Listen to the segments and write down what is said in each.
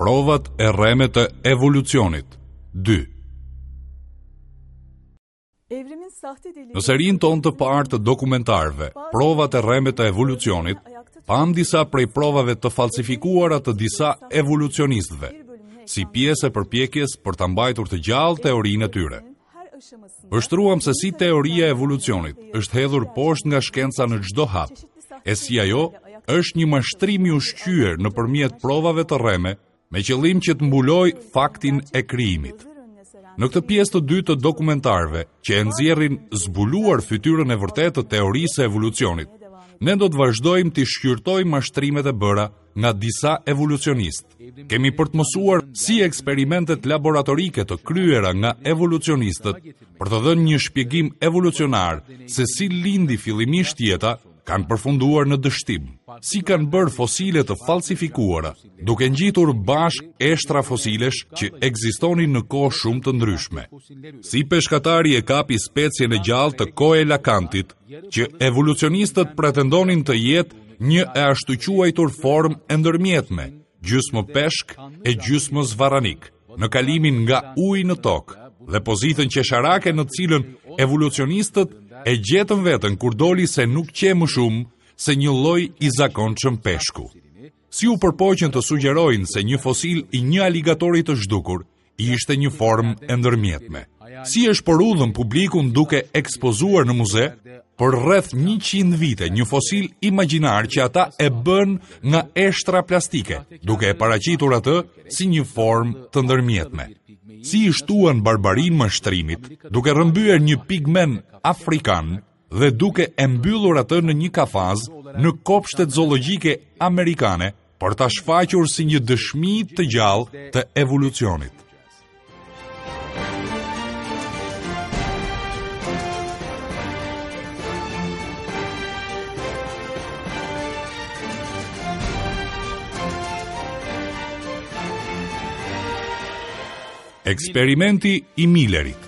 Provat e rreme të evolucionit 2 Në serinë tonë të parë të dokumentarëve, provat e rreme të evolucionit, pamë disa prej provave të falsifikuara të disa evolucionistëve, si pjesë e përpjekjes për ta mbajtur të gjallë teorinë e tyre. Vështruam se si teoria e evolucionit është hedhur poshtë nga shkenca në çdo hap, e si ajo është një mashtrim i ushqyer nëpërmjet provave të rreme me qëllim që të mbulojë faktin e krijimit. Në këtë pjesë të dytë të dokumentarëve që e nxjerrin zbuluar fytyrën e vërtetë të teorisë së evolucionit, ne do të vazhdojmë të shqyrtojmë mashtrimet e bëra nga disa evolucionistë. Kemi për të mësuar si eksperimentet laboratorike të kryera nga evolucionistët për të dhënë një shpjegim evolucionar se si lindi fillimisht jeta kanë përfunduar në dështim. Si kanë bërë fosile të falsifikuara, duke ngjitur bashkë eshtra fosilesh që ekzistonin në kohë shumë të ndryshme. Si peshkatari e kapi specien e gjallë të koelakantit, që evolucionistët pretendonin të jetë një e ashtuquajtur formë e ndërmjetme, gjysmë peshk e gjysmë zvarranik, në kalimin nga uji në tokë dhe pozitën qesharake në të cilën evolucionistët e gjetën veten kur doli se nuk qe më shumë se një lloj i zakonshëm peshku. Si u përpoqën të sugjerojnë se një fosil i një aligatori të zhdukur ishte një formë e ndërmjetme. Si e shporrudhën publikun duke ekspozuar në muze për rreth 100 vite një fosil imagjinar që ata e bënë nga eshtra plastike, duke e paraqitur atë si një formë të ndërmjetme. Si i shtuan barbarinë mashtrimit, duke rrëmbyer një pigmen afrikan dhe duke e mbyllur atë në një kafaz në kopshtet zoologjike amerikane për ta shfaqur si një dëshmi të gjallë të evolucionit. Eksperimenti i Millerit.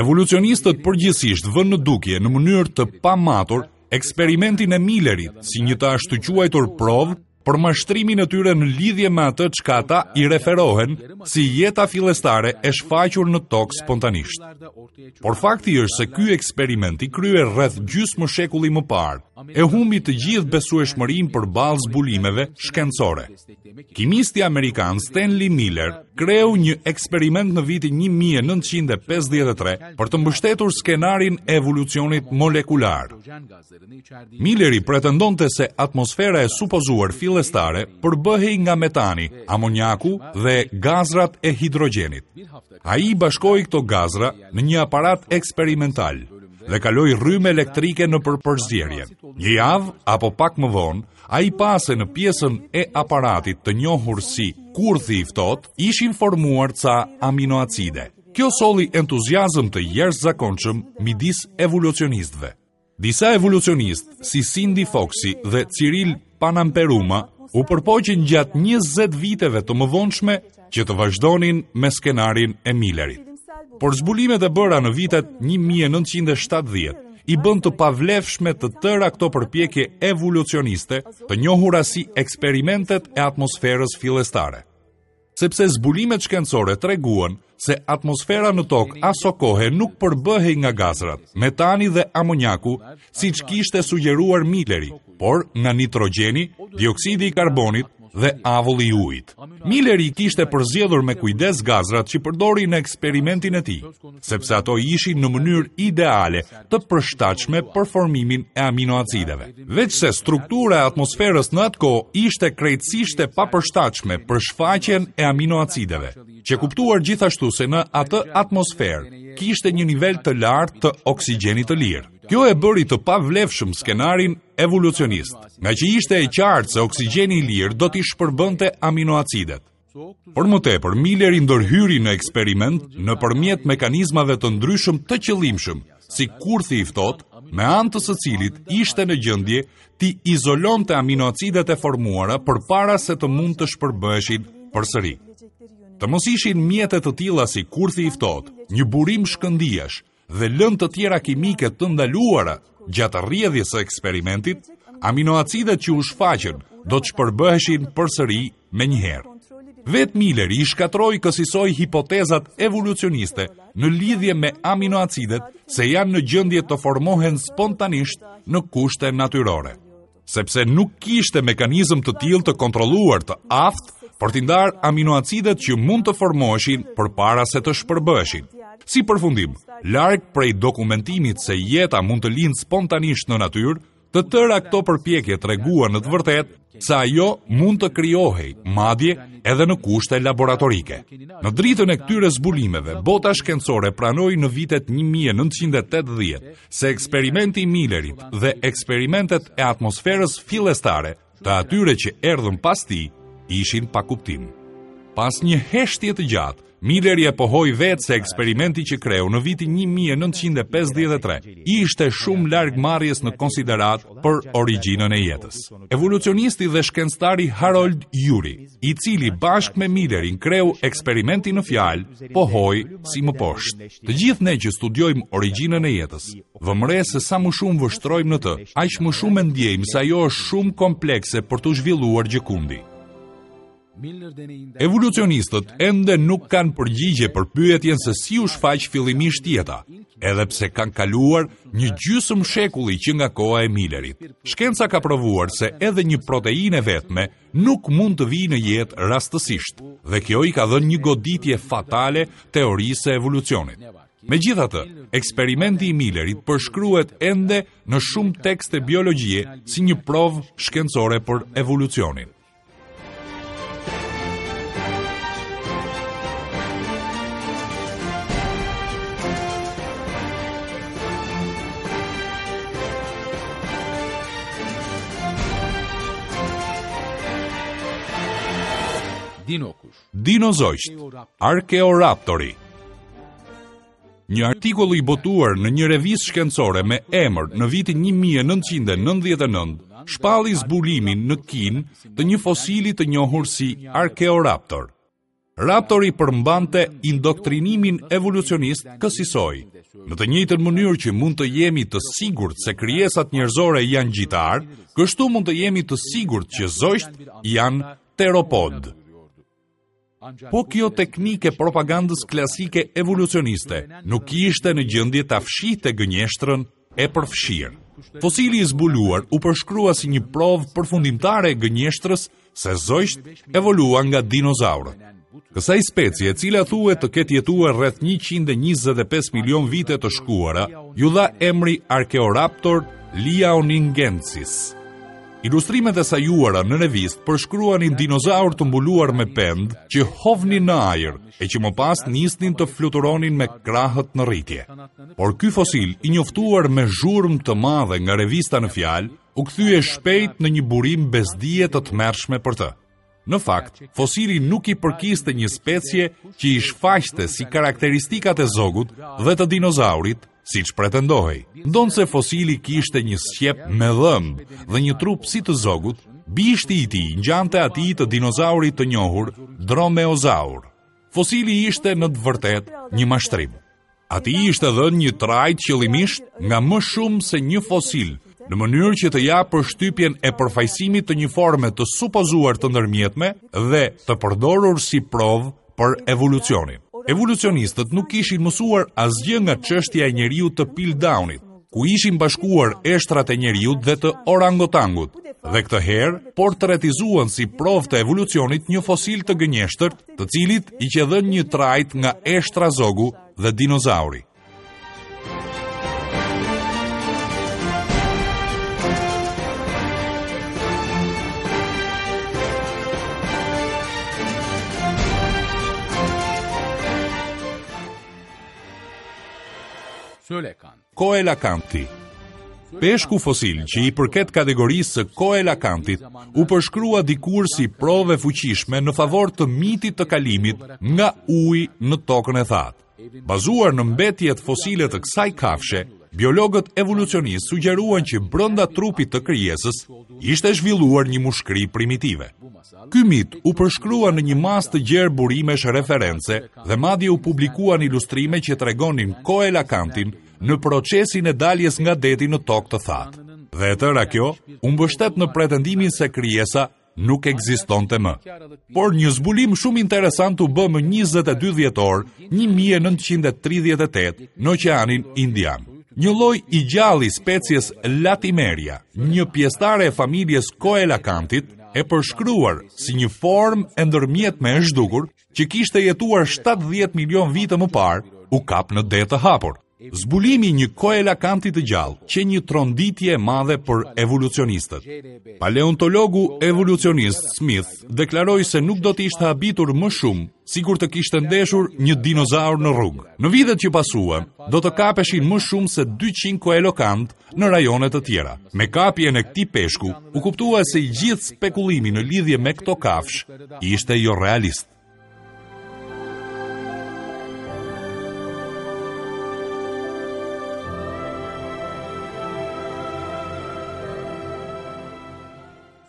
Evolucionistët përgjithësisht vënë në dukje në mënyrë të pamatur eksperimentin e Millerit si një të ashtuquajtur provë për mashtrimin e tyre në lidhje me atë çka ata i referohen si jeta fillestare e shfaqur në tokë spontanisht. Por fakti është se ky eksperiment i kryer rreth gjysmë shekulli më parë e humbi të gjithë besueshmërinë përballë zbulimeve shkencore. Kimisti amerikan Stanley Miller kreu një eksperiment në vitin 1953 për të mbështetur skenarin e evolucionit molekular. Milleri pretendonte se atmosfera e supozuar fillestare përbëhej nga metani, amonjaku dhe gazrat e hidrogjenit. Ai i bashkoi këto gazra në një aparat eksperimental dhe kaloi rrymë elektrike nëpër përzierjen. Një javë apo pak më vonë, Ai pa se në pjesën e aparatit të njohur si kurthi i ftohtë ishin formuar ca aminoacide. Kjo solli entuziazëm të jashtëzakonshëm midis evolucionistëve. Disa evolucionistë, si Cindy Foxi dhe Cyril Panamperuma, u përpoqën gjatë 20 viteve të mëvonshme që të vazhdonin me skenarin e Millerit. Por zbulimet e bëra në vitet 1970 i bënë të pavlefshme të tëra këto përpjekje evolucioniste, të njohura si eksperimentet e atmosferës fillestare. Sepse zbulimet shkencore treguan se atmosfera në tokë asokohe nuk përbëhej nga gazrat, metani dhe amonjaku, siç kishte sugjeruar Milleri, por nga nitrogjeni, dioksidi i karbonit dhe avulli i ujit. Milleri i kishte përzgjedhur me kujdes gazrat që përdori në eksperimentin e tij, sepse ato ishin në mënyrë ideale të përshtatshme për formimin e aminoacideve. Veçse struktura e atmosferës në atë kohë ishte krejtësisht e papërshtatshme për shfaqjen e aminoacideve, qe kuptuar gjithashtu se në atë atmosferë kishte një nivel të lartë të oksigjenit të lirë. Kjo e bëri të pavlefshëm skenarin evolucionist, ngaqë ishte e qartë se oksigjeni i lirë do t'i shpërbënte aminoacidet. Për më tepër, Milleri ndërhyri në eksperiment nëpërmjet mekanizmave të ndryshëm të qëllimshëm, si kurthi i ftohtë, me anë të së cilit ishte në gjendje t'i izolonte aminoacidet e formuara përpara se të mund të shpërbëheshin përsëri. Të mos ishin mjete të tilla si kurthi i ftohtë, një burim shkëndijash, dhe lëndë të tjera kimike të ndaluara gjatë rrjedhjes së eksperimentit, aminoacidet që u shfaqën do të shpërbëheshin përsëri menjëherë. Vetë Milleri i shkatërroi kësisoj hipotezat evolucioniste në lidhje me aminoacidet se janë në gjendje të formohen spontanisht në kushte natyrore. Sepse nuk kishte mekanizëm të tillë të kontrolluar të aftë për t'i ndarë aminoacidet që mund të formoheshin përpara se të shpërbëheshin. Si përfundim, larg prej dokumentimit se jeta mund të lindë spontanisht në natyrë, Të tëra këto përpjekje treguan në të vërtetë se ajo mund të krijohej, madje edhe në kushte laboratorike. Në dritën e këtyre zbulimeve, bota shkencore pranoi në vitet 1980 se eksperimenti i Millerit dhe eksperimentet e atmosferës fillestare të atyre që erdhën pas tij ishin pa kuptim. Pas një heshtje të gjatë, Milleri e pohoi vetë se eksperimenti që kreu në vitin 1953 ishte shumë larg marrjes në konsideratë për origjinën e jetës. Evolucionisti dhe shkencëtari Harold Urey, i cili bashkë me Millerin kreu eksperimentin në fjalë, pohoi si më poshtë. Të gjithë ne që studiojmë origjinën e jetës, vëmë re se sa më shumë vështrojmë në të, aq më shumë e ndjejmë se ajo është shumë komplekse për t'u zhvilluar gjëkundi. Evolucionistët ende nuk kanë përgjigje për pyetjen se si u shfaq fillimisht jeta, edhe pse kanë kaluar një gjysmë shekulli që nga koha e Millerit. Shkenca ka provuar se edhe një proteinë e vetme nuk mund të vijë në jetë rastësisht, dhe kjo i ka dhënë një goditje fatale teorisë së evolucionit. Megjithatë, eksperimenti i Millerit përshkruhet ende në shumë tekste biologjie si një provë shkencore për evolucionin. Dinozogjtë, Arkeoraptori. Një artikull i botuar në një revistë shkencore me emër në vitin 1999 shpalli zbulimin në Kinë të një fosili të njohur si Arkeoraptor. Raptori përmbante indoktrinimin evolucionist kësisoj. Në të njëjtën mënyrë që mund të jemi të sigurt se krijesat njerëzore janë gjitarë, kështu mund të jemi të sigurt që zogjtë janë teropodë. Po kjo teknikë e propagandës klasike evolucioniste nuk ishte në gjendje ta fshihte gënjeshtrën e përfshirë. Fosili i zbuluar u përshkrua si një provë përfundimtare e gënjeshtrës se zogjtë evoluan nga dinozaurët. Kësaj specie, e cila thuhet të ketë jetuar rreth 125 milion vite të shkuara, iu dha emri Archaeoraptor liaoningensis. Ilustrimet e sajuara në revistë përshkruanin dinozaurë të mbuluar me pendë që hovnin në ajër e që më pas nisnin të fluturonin me krahët në rritje. Por ky fosil, i njoftuar me zhurmë të madhe nga revista në fjalë, u kthye shpejt në një burim bezdie të tmerrshme për të. Në fakt, fosili nuk i përkiste një specie që i shfaqte si karakteristikat e zogut dhe të dinozaurit, siç pretendohej. Ndonëse fosili kishte një sqep me dhëmbë dhe një trup si të zogut, bishti i tij ngjante atij të dinozaurit të njohur Dromeozaur. Fosili ishte në të vërtetë një mashtrim. Atij i ishte dhënë një trajtë qëllimisht nga më shumë se një fosil, në mënyrë që të japë përshtypjen e përfaqësimit të një forme të supozuar të ndërmjetme dhe të përdorur si provë për evolucionin. Evolucionistët nuk kishin mësuar asgjë nga çështja e njeriut të Piltdownit, ku ishin bashkuar eshtrat e njeriut dhe të orangotangut, dhe këtë herë portretizuan si provë të evolucionit një fosil të gënjeshtërt, të cilit i qe dhënë një trajtë nga eshtra zogu dhe dinozauri. Koelakanti. Peshku fosil që i përket kategorisë së koelakantit u përshkrua dikur si provë e fuqishme në favor të mitit të kalimit nga uji në tokën e thatë. Bazuar në mbetjet fosile të kësaj kafshe, biologët evolucionistë sugjeruan që brenda trupit të krijesës ishte zhvilluar një mushkëri primitive. Ky mit u përshkrua në një masë të gjerë burimesh reference dhe madje u publikuan ilustrime që tregonin koelakantin në procesin e daljes nga deti në tokë të thatë. Dhe e tëra kjo u mbështet në pretendimin se krijesa nuk ekzistonte më. Por një zbulim shumë interesant u bë më 22 dhjetor 1938 në Oqeanin Indian. Një lloj i gjallë i species Latimeria, një pjesëtare e familjes Koelakantit, e përshkruar si një formë e ndërmjetme e zhdukur që kishte jetuar 70 milion vite më parë, u kap në det të hapur. Zbulimi i një koelakanti të gjallë qe një tronditje e madhe për evolucionistët. Paleontologu evolucionist Smith deklaroi se nuk do të ishte habitur më shumë sikur të kishte ndeshur një dinozaur në rrugë. Në vitet që pasuan, do të kapeshin më shumë se 200 koelakantë në rajone të tjera. Me kapjen e këtij peshku, u kuptua se i gjithë spekulimi në lidhje me këto kafshë ishte jorealist.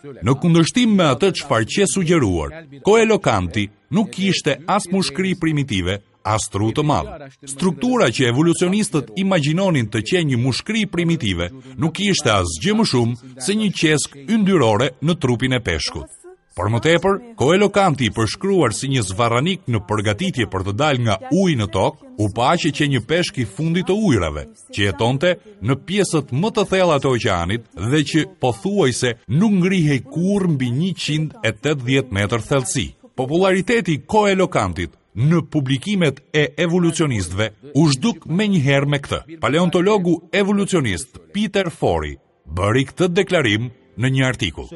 Në kundërshtim me atë çfarë qe sugjeruar, koelokanti nuk kishte as mushkëri primitive, as tru të madh. Struktura që evolucionistët imagjinonin të qe një mushkëri primitive, nuk ishte asgjë më shumë se një qeskë yndyrore në trupin e peshkut. Për më tepër, koelokanti i përshkruar si një zvarranik në përgatitje për të dalë nga uji në tokë, u pa që qe një peshk i fundit të ujërave, që jetonte në pjesët më të thella të oqeanit dhe që pothuajse nuk ngrihej kurrë mbi 180 metër thellësi. Popullariteti i koelokantit në publikimet e evolucionistëve u zhduk menjëherë me këtë. Paleontologu evolucionist Peter Forey bëri këtë deklarim në një artikull.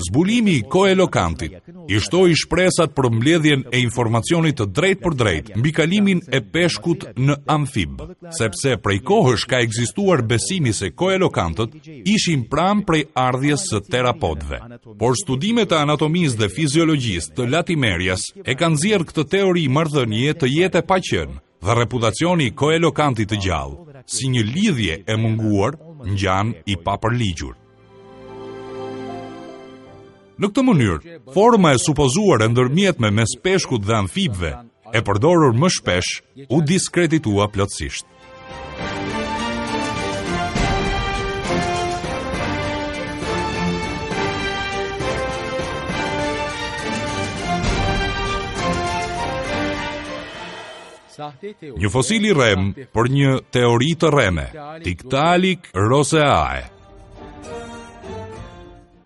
Zbulimi i koelokantit i shtoi shpresat për mbledhjen e informacionit të drejtpërdrejtë mbi kalimin e peshkut në amfib, sepse prej kohësh ka ekzistuar besimi se koelokantët ishin pranë prejardhjes së terapodëve. Por studimet e anatomisë dhe fiziologjisë të Latimerias e kanë nxjerrë këtë teori marrëdhënie të jetë e paqenë dhe reputacioni i koelokantit të gjallë, si një lidhje e munguar, ngjan i papërligjur. Në këtë mënyrë, forma e supozuar e ndërmjetme mes peshkut dhe amfibëve, e përdorur më shpesh, u diskreditua plotësisht. Një fosil i rremë për një teori të rreme, Tiktaalik roseae.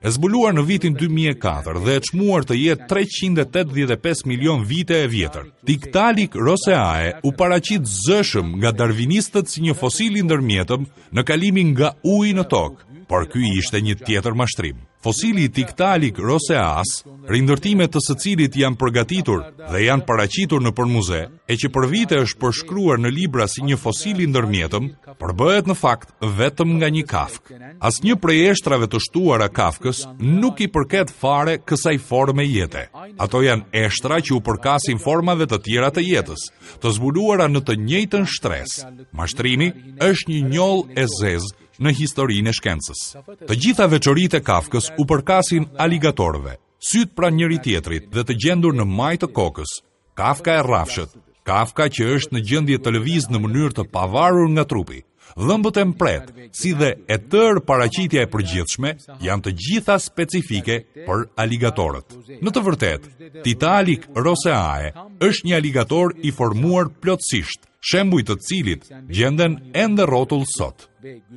E zbuluar në vitin 2004 dhe e çmuar të jetë 385 milion vite e vjetër. Tiktaalik roseae u paraqit zëshëm nga darvinistët si një fosil i ndërmjetëm në kalimin nga uji në tokë, por ky ishte një tjetër mashtrim. Fosili i Tiktaalik roseas, rindërtime të së cilit janë përgatitur dhe janë paraqitur nëpër muze, e që për vite është përshkruar në libra si një fosil i ndërmjetëm, përbëhet në fakt vetëm nga një kafkë. Asnjë prej eshtrave të shtuara kafkës nuk i përket fare kësaj forme jete. Ato janë eshtra që u përkasin formave të tjera të jetës, të zbuluara në të njëjtën shtresë. Mashtrimi është një njollë e zezë në historinë e shkencës. Të gjitha veçoritë e kafkës u përkasin aligatorëve, sytë pranë njëri-tjetrit dhe të gjendur në majë të kokës, kafka e rrafshët, kafka që është në gjendje të lëvizë në mënyrë të pavarur nga trupi, dhëmbët e mprehtë, si dhe e tërë paraqitja e përgjithshme janë të gjitha specifike për aligatorët. Në të vërtetë, Tiktaalik roseae është një aligator i formuar plotësisht, shembuj të cilit gjenden ende rrotull sot.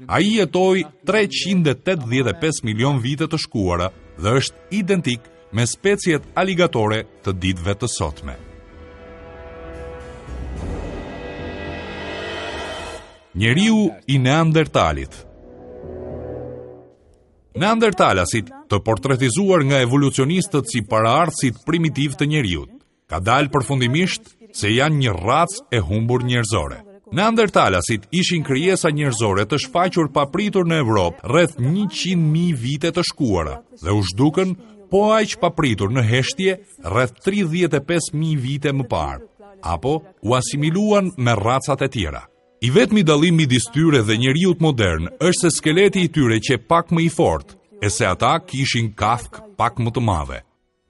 Ai jetoi 385 milion vite të shkuara dhe është identik me speciet aligatore të ditëve të sotme. Njeriu i Neandertalit Neandertalasit, të portretizuar nga evolucionistët si paraardhësit primitivë të njeriut, Ka dalë përfundimisht se janë një racë e humbur njerëzore. Neandertalasit ishin krijesa njerëzore të shfaqur papritur në Evropë rreth 100.000 vite të shkuara dhe u zhdukën po aq papritur në heshtje rreth 35.000 vite më parë, apo u asimiluan me racat e tjera. I vetmi dallim midis tyre dhe njeriut modern është se skeleti i tyre qe pak më i fortë, e se ata kishin kafkë pak më të madhe.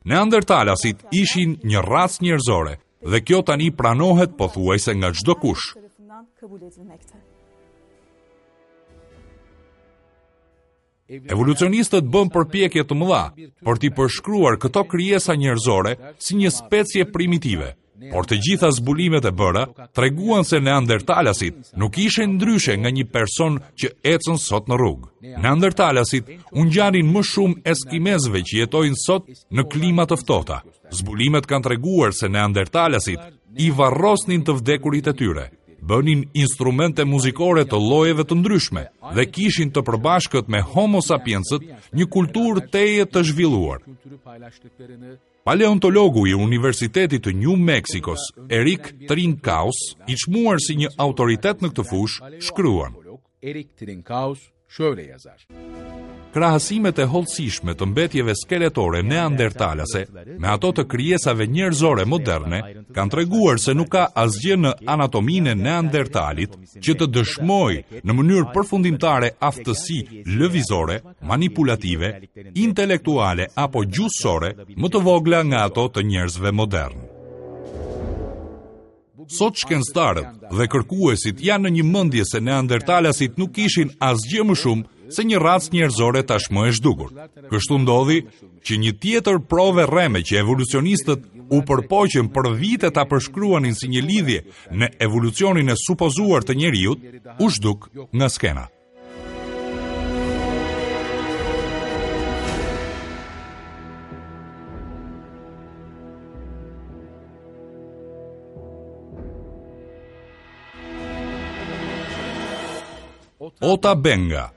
Neandertalasit ishin një racë njerëzore dhe kjo tani pranohet pothuajse nga çdokush. Evolucionistët bënë përpjekje të mëdha për t'i përshkruar këto krijesa njerëzore si një specie primitive, por të gjitha zbulimet e bëra treguan se neandertalasit nuk ishin ndryshe nga një person që ecën sot në rrugë. Neandertalasit u ngjanin më shumë eskimezëve që jetojnë sot në klima të ftohta. Zbulimet kanë treguar se neandertalasit i varrosnin të vdekurit e tyre, bënin instrumente muzikore të llojeve të ndryshme dhe kishin të përbashkët me Homo sapiensët një kulturë tejet të zhvilluar. Paleontologu i Universitetit të New Mexicos, Erik Trinkaus, i çmuar si një autoritet në këtë fushë, shkruan: Erik Trinkaus şöyle yazar. Krahasimet e hollësishme të mbetjeve skeletore neandertalase me ato të krijesave njerëzore moderne kanë treguar se nuk ka asgjë në anatominë e neandertalit që të dëshmojë në mënyrë përfundimtare aftësi lëvizore, manipulative, intelektuale apo gjuhësore më të vogla nga ato të njerëzve modernë. Sot shkencëtarët dhe kërkuesit janë në një mendje se neandertalasit nuk ishin asgjë më shumë se një racë njerëzore tashmë e zhdukur. Kështu ndodhi që një tjetër provë e rreme që evolucionistët u përpoqën për vite ta përshkruanin si një lidhje në evolucionin e supozuar të njeriut, u zhduk nga skena. Ota Benga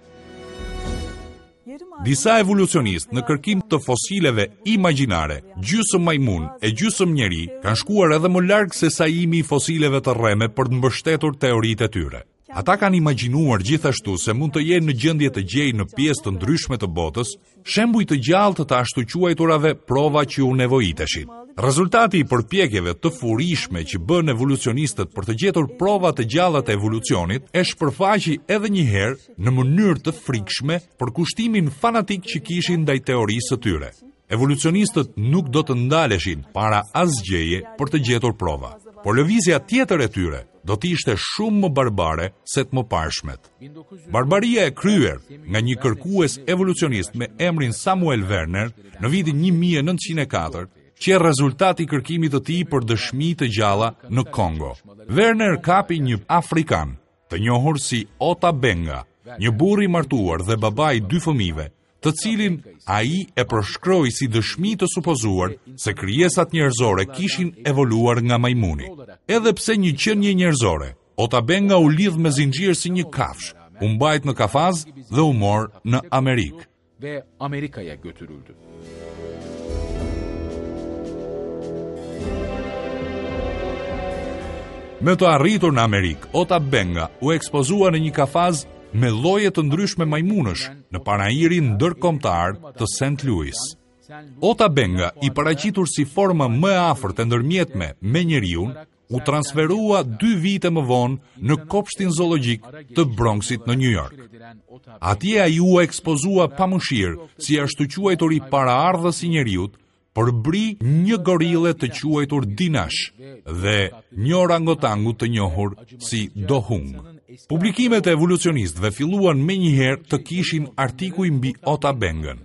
Disa evolucionistë në kërkim të fosileve imagjinare, gjysmë majmun e gjysmë njeri, kanë shkuar edhe më larg se sajimi i fosileve të rreme për të mbështetur teoritë e tyre. Ata kanë imagjinuar gjithashtu se mund të jenë në gjendje të gjejnë në pjesë të ndryshme të botës shembuj të gjallë të të ashtuquajturave prova që u nevojiteshin. Rezultati i përpjekjeve të furishme që bënë evolucionistët për të gjetur prova të gjalla të evolucionit e shpërfaqi edhe një herë në mënyrë të frikshme përkushtimin fanatik që kishin ndaj teorisë së tyre. Evolucionistët nuk do të ndaleshin para asgjëje për të gjetur prova. Por lëvizja tjetër e tyre do të ishte shumë më barbare se të mëparshmet. Barbaria e kryer nga një kërkues evolucionist me emrin Samuel Werner në vitin 1904 qe rezultat i kërkimit të tij për dëshmi të gjalla në Kongo. Werner kapi një afrikan, të njohur si Ota Benga, një burrë i martuar dhe baba i dy fëmijëve, të cilin ai e përshkroi si dëshmi të supozuar se krijesat njerëzore kishin evoluar nga majmuni. Edhe pse një qenie njerëzore, Ota Benga u lidh me zinxhir si një kafshë, u mbajt në kafaz dhe u mor në Amerikë. Ve Amerika'ya götürüldü. Me të arritur në Amerikë, Ota Benga u ekspozua në një kafaz me lloje të ndryshme majmunësh në panairin ndërkombëtar të St. Louis. Ota Benga, i paraqitur si forma më e afërt e ndërmjetme me njeriun, u transferua dy vite më vonë në kopshtin zoologjik të Bronxit në New York. Atje ai u ekspozua pa mëshirë si i ashtuquajturi paraardhës i njeriut, përbri një gorille të quajtur Dinash dhe një orangotangu të njohur si Dohung. Publikimet e evolucionistëve filluan menjëherë të kishin artikuj mbi Ota Bengën.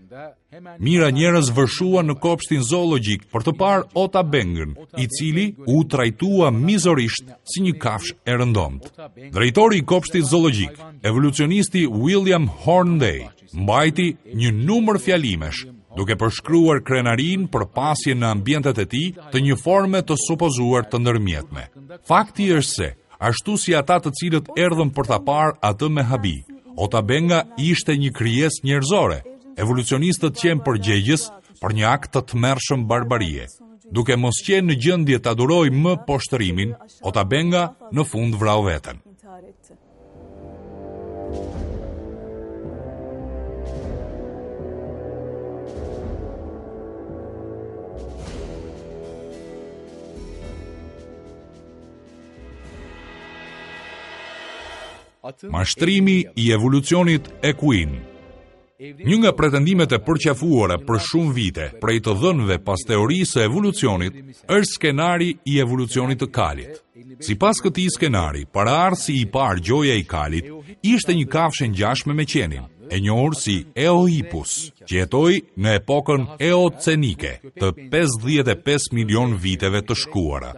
Mijëra njerëz vërshuan në kopshtin zoologjik për të parë Ota Bengën, i cili u trajtua mizorisht si një kafshë e rëndomtë. Drejtori i kopshtit zoologjik, evolucionisti William Hornday, mbajti një numër fjalimesh, duke përshkruar krenarinë për pasjen në ambientet e tij të një forme të supozuar të ndërmjetme. Fakti është se, ashtu si ata të cilët erdhën për ta parë atë me habi, Ota Benga ishte një krijesë njerëzore. Evolucionistët qenë përgjegjës për një akt të tmerrshëm barbarie. Duke mos qenë në gjendje ta durojë më poshtërimin, Ota Benga në fund vrau veten. Mashtrimi i evolucionit ekuin. Një nga pretendimet e përqafuara për shumë vite prej të dhënëve pas teorisë së evolucionit është skenari i evolucionit të kalit. Sipas këtij skenari, paraardhësi i parë gjoja i kalit ishte një kafshë e ngjashme me qenin. e njohur si Eohippus, që jetoi në epokën eocenike të 55 milionë viteve të shkuara.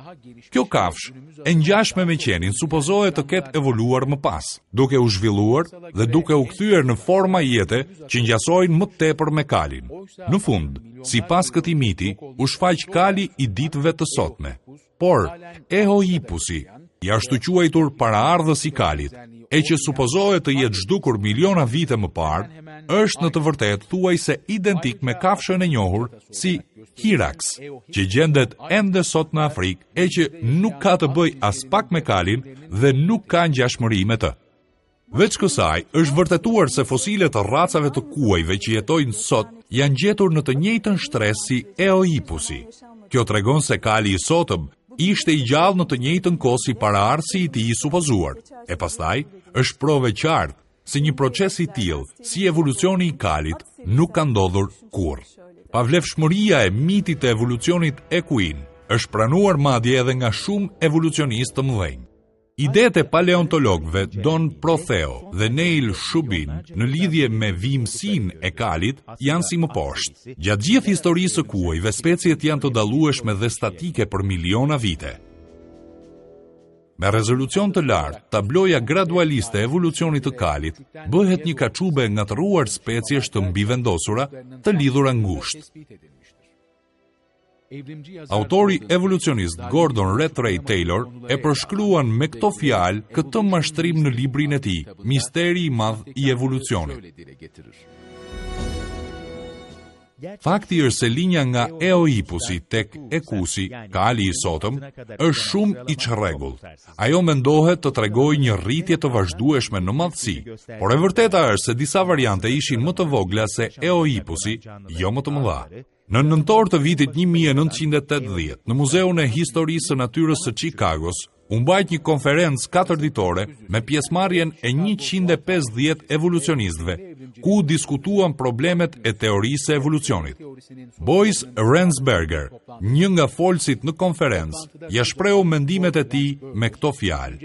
Kjo kafshë, e ngjashme me qenin, supozohet të ketë evoluar më pas, duke u zhvilluar dhe duke u kthyer në forma jete që ngjasojnë më tepër me kalin. Në fund, sipas këtij miti, u shfaq kali i ditëve të sotme. Por, Eohippusi, i ashtuquajtur paraardhës i kalit, e që supozohet të jetë zhdukur miliona vite më parë, është në të vërtetë thuajse identik me kafshën e njohur si Hyrax, që gjendet ende sot në Afrikë e që nuk ka të bëjë aspak me kalin dhe nuk ka ngjashmëri me të. Veç kësaj, është vërtetuar se fosile të racave të kuajve që jetojnë sot janë gjetur në të njëjtën shtresë si Eohippusi. Kjo tregon se kali i sotëm ishte i gjallë në të njëjtën kohë si paraardhësi i tij i supozuar. E pastaj, është provë e qartë se një proces i tillë si evolucioni i kalit nuk ka ndodhur kurrë. Pavlefshmëria e mitit të evolucionit ekuin është pranuar madje edhe nga shumë evolucionistë të mëdhenj. Idetë e paleontologëve Don Protheo dhe Neil Shubin në lidhje me vijimësinë e kalit janë si më poshtë. Gjatë gjithë historisë së kuajve, speciet janë të dallueshme dhe statike për miliona vite. Me rezolucion të lartë, tabloja gradualiste e evolucionit të kalit bëhet një kaçube e ngatërruar speciesh të mbivendosura të lidhura ngushtë. Autori evolucionist Gordon Rattray Taylor e përshkruan me këto fjalë këtë mashtrim në librin e tij, Misteri i madh i evolucionit. Fakti është se linja nga Eohippusi tek Ekusi, kali i sotëm, është shumë i çrregullt. Ajo mendohet të tregojë një rritje të vazhdueshme në madhësi, por e vërteta është se disa variante ishin më të vogla se Eohippusi, jo më të mëdha. Në nëntor të vitit 1980, në Muzeun e Historisë së Natyrës së Çikagos, u mbajt një konferencë katërditore me pjesëmarrjen e 150 evolucionistëve, ku u diskutuan problemet e teorisë së evolucionit. Boyce Ransberger, një nga folësit në konferencë, ia shprehu mendimet e tij me këto fjalë.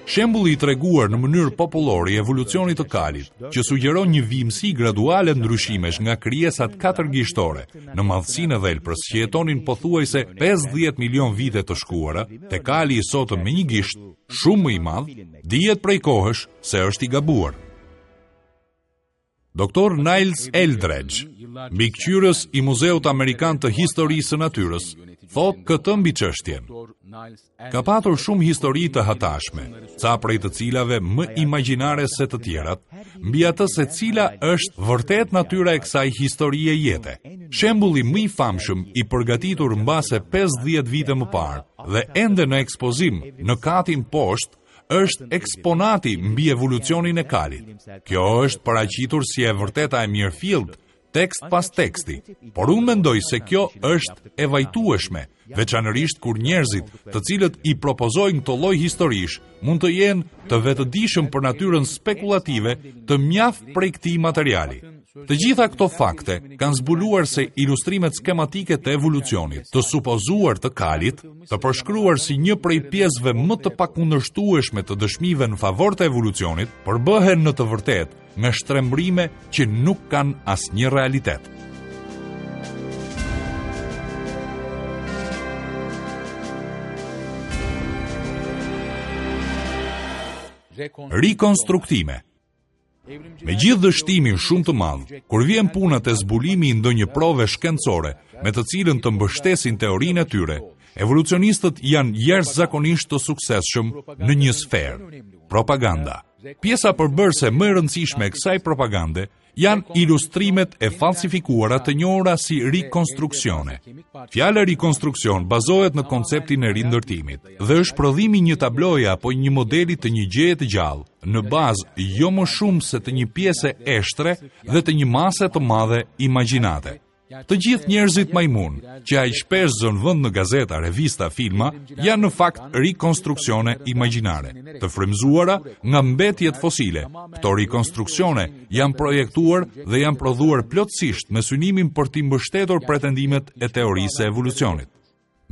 Shembulli i treguar në mënyrë popullore i evolucionit të kalit, që sugjeron një vijimësi graduale ndryshimesh nga krijesat katërgishtore në madhësinë e dhelprës që jetonin pothuajse 50 milion vite të shkuara, te kali i sotëm me një gisht, shumë më i madh, dihet prej kohësh se është i gabuar. Doktor Niles Eldredge, mbikëqyrës i Muzeut Amerikan të Historisë së Natyrës, thotë këtë mbi çështjen. Ka patur shumë histori të hatashme, ca prej të cilave më imagjinare se të tjerat, mbi atë se cila është vërtet natyra e kësaj historie jete. Shembulli më i famshëm i përgatitur mbase 50 vite më parë dhe ende në ekspozim në katin poshtë është eksponati mbi evolucionin e kalit. Kjo është paraqitur si e vërteta e mirëfilltë, tekst pas teksti, por unë mendoj se kjo është e vajtueshme, veçanërisht kur njerëzit, të cilët i propozojnë këto lloj historish, mund të jenë të vetëdijshëm për natyrën spekulative të mjaft prej këtij materiali. Të gjitha këto fakte kanë zbuluar se ilustrimet skematike të evolucionit, të supozuar të kalit, të përshkruar si një prej pjesëve më të pakundërshtueshme të dëshmive në favor të evolucionit, përbëhen në të vërtetë nga shtrembërime që nuk kanë asnjë realitet. Rikonstruktime Me gjithë dështimin shumë të madh, kur vjen puna te zbulimi i ndonjë prove shkencore me të cilën të mbështesin teorinë e tyre, evolucionistët janë jashtëzakonisht të suksesshëm në një sferë, propaganda. Pjesa përbërëse më e rëndësishme e kësaj propagande janë ilustrimet e falsifikuara të njohura si rikonstruksione. Fjala rikonstruksion bazohet në konceptin e rindërtimit dhe është prodhimi i një tabloje apo një modeli të një gjëje të gjallë, në bazë jo më shumë se të një pjese eshtre dhe të një mase të madhe imagjinate. Të gjithë njerëzit majmunë, që aq shpesh zënë vend në gazeta, revista, filma, janë në fakt rikonstruksione imagjinare, të frymëzuara nga mbetjet fosile. Këto rikonstruksione janë projektuar dhe janë prodhuar plotësisht me synimin për t'i mbështetur pretendimet e teorisë së evolucionit.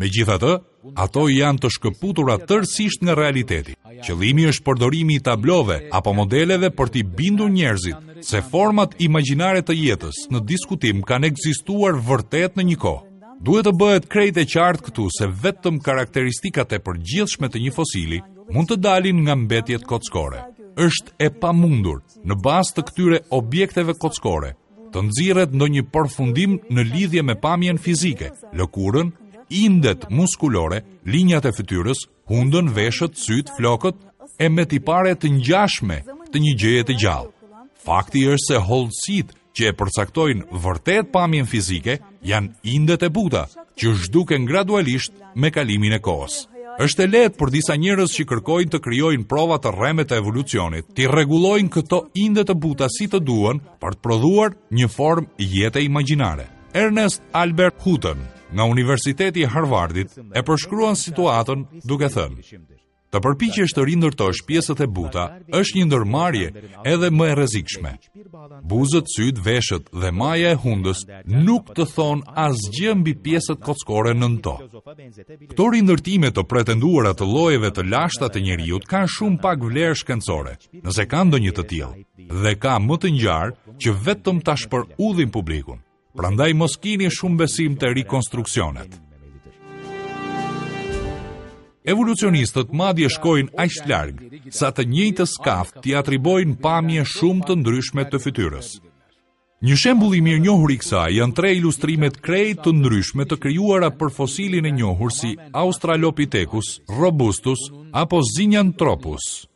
Megjithatë, ato janë të shkëputura tërësisht nga realiteti. Qëllimi është përdorimi i tablove apo modeleve për t'i bindur njerëzit se format imagjinare të jetës në diskutim kanë ekzistuar vërtet në një kohë. Duhet të bëhet krejt e qartë këtu se vetëm karakteristikat e përgjithshme të një fosili mund të dalin nga mbetjet kockore. Është e pamundur, në bazë të këtyre objekteve kockore, të nxirret ndonjë përfundim në lidhje me pamjen fizike, lëkurën, indet muskulore, linjat e fytyrës, hundën, veshët, sytë, flokët e me tipare të ngjashme të një gjëje të gjallë. Fakti është se hollësitë që e përcaktojnë vërtet pamjen fizike janë indet e buta, që zhduken gradualisht me kalimin e kohës. Është e lehtë për disa njerëz që kërkojnë të krijojnë prova të rreme të evolucionit, t'i rregullojnë këto inde të buta si të duan për të prodhuar një formë jete imagjinare. Ernest Albert Hutton nga Universiteti i Harvardit e përshkruan situatën duke thënë: Të përpiqesh të rindërtosh pjesët e buta është një ndërmarrje edhe më e rrezikshme. Buzët, sytë, veshët dhe maja e hundës nuk të thonë asgjë mbi pjesët kockore nën to. Këto rindërtime të pretenduara të llojeve të lashta të njeriut kanë shumë pak vlerë shkencore, nëse ka ndonjë të tillë, dhe ka më të ngjarë që vetëm ta shpërudhin publikun. Prandaj mos kini shumë besim te rikonstruksionet. Evolucionistët madje shkojnë aq larg sa të njëjtës kafkë t'i atribuojnë pamje shumë të ndryshme të fytyrës. Një shembull i mirënjohur i kësaj janë tre ilustrimet krejt të ndryshme të krijuara për fosilin e njohur si Australopithecus robustus apo Zinjanthropus.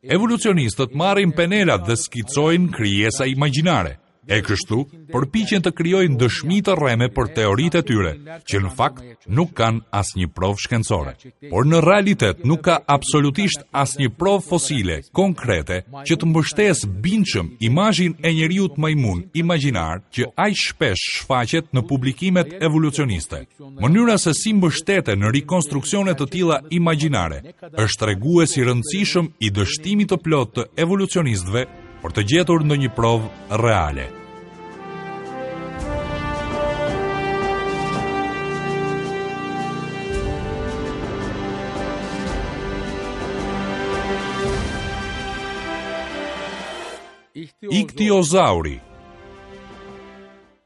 Evolucionistët marrin penelat dhe skicojnë krijesa imagjinare, e kështu përpiqen të krijojnë dëshmi të rreme për teoritë e tyre, që në fakt nuk kanë asnjë provë shkencore. Por në realitet nuk ka absolutisht asnjë provë fosile konkrete që të mbështesë bindshëm imazhin e njeriut majmun imagjinar që aq shpesh shfaqet në publikimet evolucioniste. Mënyra se si mbështeten në rikonstruksione të tilla imagjinare është tregues i rëndësishëm i dështimit të plotë të evolucionistëve për të gjetur ndonjë provë reale. Iktiozauri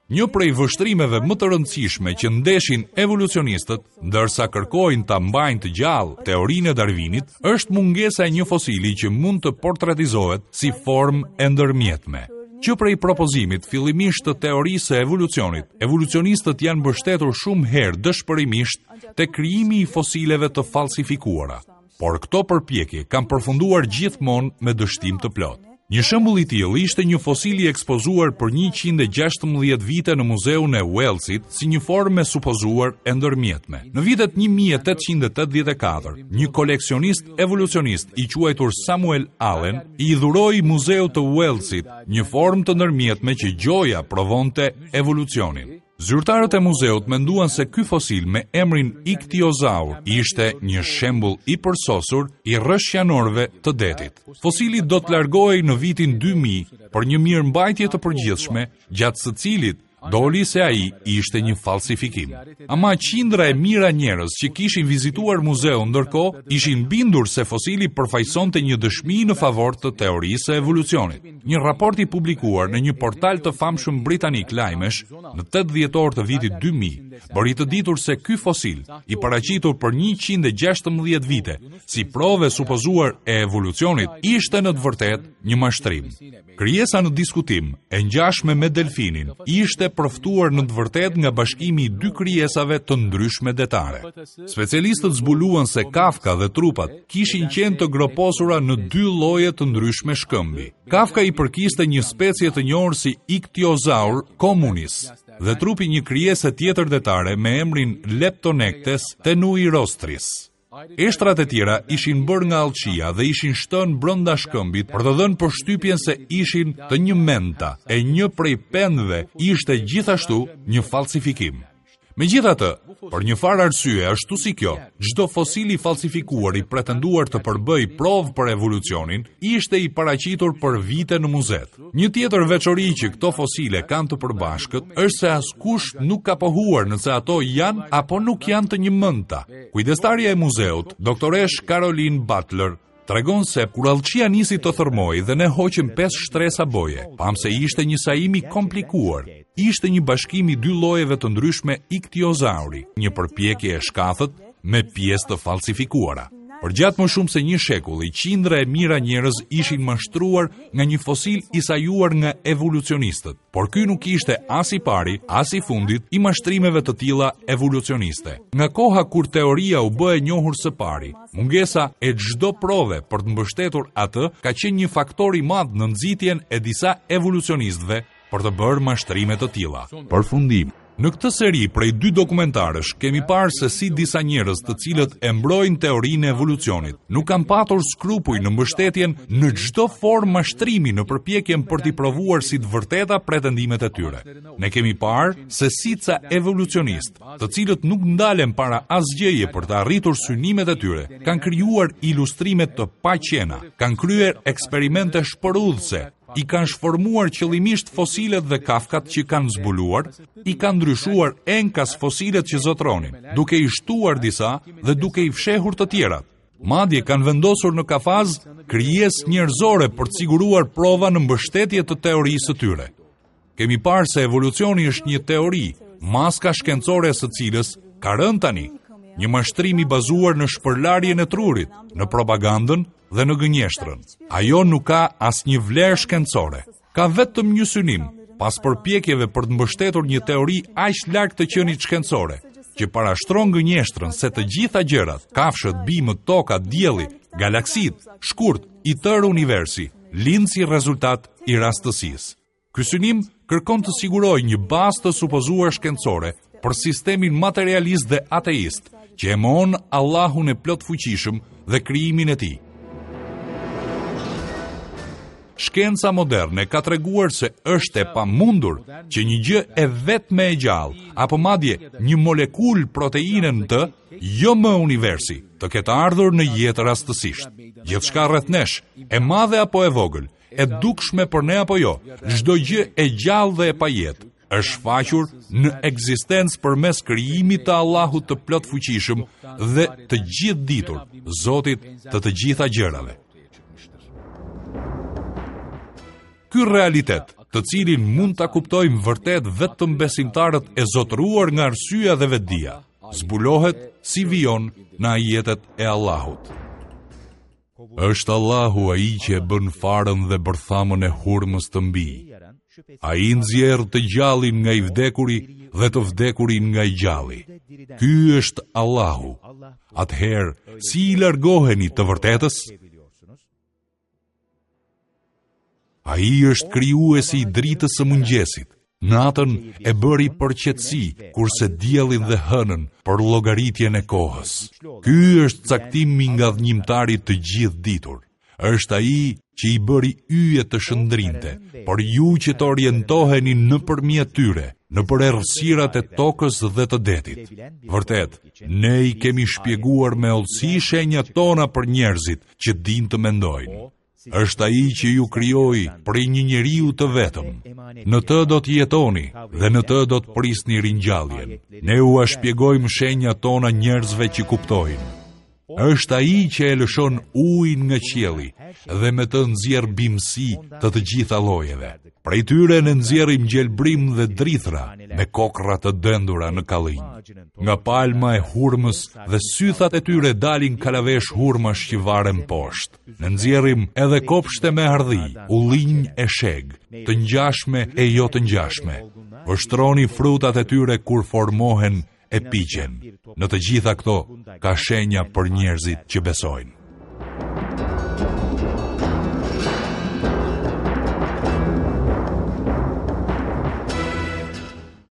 Një prej vështrimeve më të rëndësishme që ndeshin evolucionistët, ndërsa kërkojnë ta mbajnë të gjallë teorinë e Darwinit, është mungesa e një fosili që mund të portretizohet si formë e ndërmjetme. Që prej propozimit fillimisht të teorisë së evolucionit, evolucionistët janë mbështetur shumë herë dëshpërimisht te krijimi i fosileve të falsifikuara. Por këto përpjekje kanë përfunduar gjithmonë me dështim të plotë. Një shembull i tillë ishte një fosil i ekspozuar për 116 vite në Muzeun e Uellsit si një formë e supozuar e ndërmjetme. Në vitet 1884, një koleksionist evolucionist i quajtur Samuel Allen i dhuroi Muzeut të Uellsit një formë të ndërmjetme që gjoja provonte evolucionin. Zyrtarët e muzeut menduan se ky fosil me emrin Iktiozaur ishte një shembull i përsosur i rrëshjanorëve të detit. Fosili do të largohej në vitin 2000 për një mirëmbajtje të përgjithshme, gjatë së cilit doli se ai ishte një falsifikim. Ama qindra e mijëra njerëz që kishin vizituar muzeun ndërkohë ishin bindur se fosili përfaqësonte një dëshmi në favor të teorisë së evolucionit. Një raport i publikuar në një portal të famshëm britanik lajmesh në 8 dhjetor të vitit 2000 bëri të ditur se ky fosil, i paraqitur për 116 vite si provë e supozuar e evolucionit, ishte në të vërtetë një mashtrim. Krijesa në diskutim, e ngjashme me delfinin, ishte përftuar në të vërtetë nga bashkimi i dy krijesave të ndryshme detare. Specialistët zbuluan se kafka dhe trupat kishin qenë të groposura në dy lloje të ndryshme shkëmbi. Kafka i përkiste një specie të njohur si Ichthyosaur communis dhe trupi një krijese tjetër detare me emrin Leptonectes tenuirostris. Eshtrat e tjera ishin bërë nga allçia dhe ishin shtënë brenda shkëmbit për të dhënë përshtypjen se ishin të njëmendta, e një prej pendëve ishte gjithashtu një falsifikim. Megjithatë, për një farë arsye, ashtu si kjo, çdo fosil i falsifikuar i pretenduar të përbëjë provë për evolucionin, ishte i paraqitur për vite në muzetë. Një tjetër veçori që këto fosile kanë të përbashkët është se askush nuk ka pohuar nëse ato janë apo nuk janë të njëmendta. Kujdestarja e muzeut, doktoreshë Caroline Butler, tregon se kur allçia nisi të thërrmojë dhe ne hoqëm pesë shtresa boje, pamë se ishte një sajim i komplikuar. Ishte një bashkim i dy llojeve të ndryshme iktiozauri, një përpjekje e shkathët me pjesë të falsifikuara. Përgjatë më shumë se një shekulli, qindra e mijëra njerëz ishin mashtruar nga një fosil i sajuar nga evolucionistët. Por ky nuk ishte as i pari, as i fundit i mashtrimeve të tilla evolucioniste. Nga koha kur teoria u bë e njohur së pari, Mungesa e çdo prove për të mbështetur atë ka qenë një faktor i madh në nxitjen e disa evolucionistëve për të bërë mashtrime të tilla. Përfundim. Në këtë seri prej dy dokumentarësh kemi parë se si disa njerëz të cilët e mbrojnë teorinë e evolucionit nuk kanë patur skrupuj në mbështetjen në çdo formë mashtrimi në përpjekjen për t'i provuar si të vërteta pretendimet e tyre. Ne kemi parë se si ca evolucionistë të cilët nuk ndalen para asgjëje për të arritur synimet e tyre, kanë krijuar ilustrime të paqena, kanë kryer eksperimente shpërudhëse, i kanë shformuar qëllimisht fosilet dhe kafkat që kanë zbuluar, i kanë ndryshuar enkas fosilet që zotëronin, duke i shtuar disa dhe duke i fshehur të tjerat. Madje kanë vendosur në kafaz krijesë njerëzore për të siguruar prova në mbështetje të teorisë së tyre. Kemi parë se evolucioni është një teori, maska shkencore e së cilës ka rënë tani, një mashtrim i bazuar në shpërlarjen e trurit, në propagandën dhe në gënjeshtrën. Ajo nuk ka asnjë vlerë shkencore. Ka vetëm një synim, pas përpjekjeve për të mbështetur një teori aq larg të qenit shkencore, që parashtron gënjeshtrën se të gjitha gjërat, kafshët, bimët, toka, dielli, galaksitë, shkurt, i tërë universi, lind si rezultat i rastësisë. Ky synim kërkon të sigurojë një bazë të supozuar shkencore për sistemin materialist dhe ateist, që e mohon Allahun e plotfuqishëm dhe krijimin e tij. Shkenca moderne ka treguar se është e pamundur që një gjë e vetme e gjallë, apo madje një molekulë proteine në të, jo më universi, të ketë ardhur në jetë rastësisht. Gjithçka rreth nesh, e madhe apo e vogël, e dukshme për ne apo jo, çdo gjë e gjallë dhe e pajetë është shfaqur në ekzistencë përmes krijimit të Allahut të plotfuqishëm dhe të gjithëditur, Zotit të të gjitha gjërave. Ky realitet, të cilin mund ta kuptojnë vërtet vetëm besimtarët e zotëruar nga arsyeja dhe vetëdija, zbulohet si vijon në ajetet e Allahut. Është Allahu ai që e bën farën dhe bërthamën e hurmës të mbijë. Ai nxjerr të gjallin nga i vdekuri dhe të vdekurin nga i gjalli. Ky është Allahu. Atëherë, si i largoheni të vërtetës? Ai është krijuesi i dritës së mëngjesit. Natën e bëri për qetësi, kurse diellin dhe hënën për llogaritjen e kohës. Ky është caktimi i ngadhënjimtarit të gjithëditur. Është ai që i bëri yjet të shndrinte, për ju që të orientoheni nëpërmjet tyre, nëpër errësirat e tokës dhe të detit. Vërtet, ne i kemi shpjeguar me hollësi shenjat tona për njerëzit që dinë të mendojnë. Është ai që ju krijoi prej një njeriu të vetëm. Në të do të jetoni dhe në të do të prisni ringjalljen. Ne ua shpjegojmë shenjat tona njerëzve që kuptojnë. Është ai që e lëshon ujin nga qielli dhe me të nxjerr bimësi të të gjitha llojeve. Prej tyre ne nxjerrim gjelbrim dhe drithëra me kokrra të dendura në kallinj. Nga palma e hurmës dhe sythat e tyre dalin kalavesh hurmash që varen poshtë. Ne nxjerrim edhe kopshte me hardhi, ullinj e shegë, të ngjashme e jo të ngjashme. Vështroni frutat e tyre kur formohen e piqen. Në të gjitha këto ka shenja për njerëzit që besojnë.